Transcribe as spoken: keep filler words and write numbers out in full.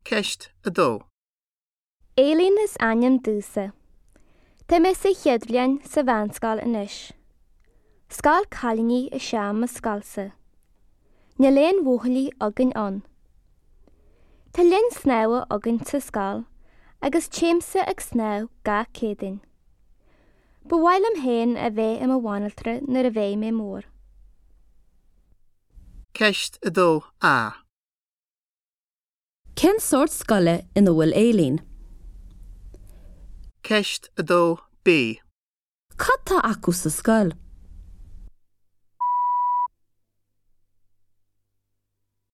Ceist a dó. Éilín is ainm domhsa. Tá mé sa chéad bhliain sa mheánscoil anois. Scoil cailíní is ea mo scoilsa. Níl aon bhuachaillí againn ann. Tá linn snámha againn sa scoil agus téimse ag snámh gach Céadaoin. Ba mhaith liom féin a bheith i mo bhanaltra nuair a bheidh mé mór. Ceist a dó A. Cén sórt scoile ina bhfuil Éilín? Ceist a dó B. Cad tá acu sa scoil?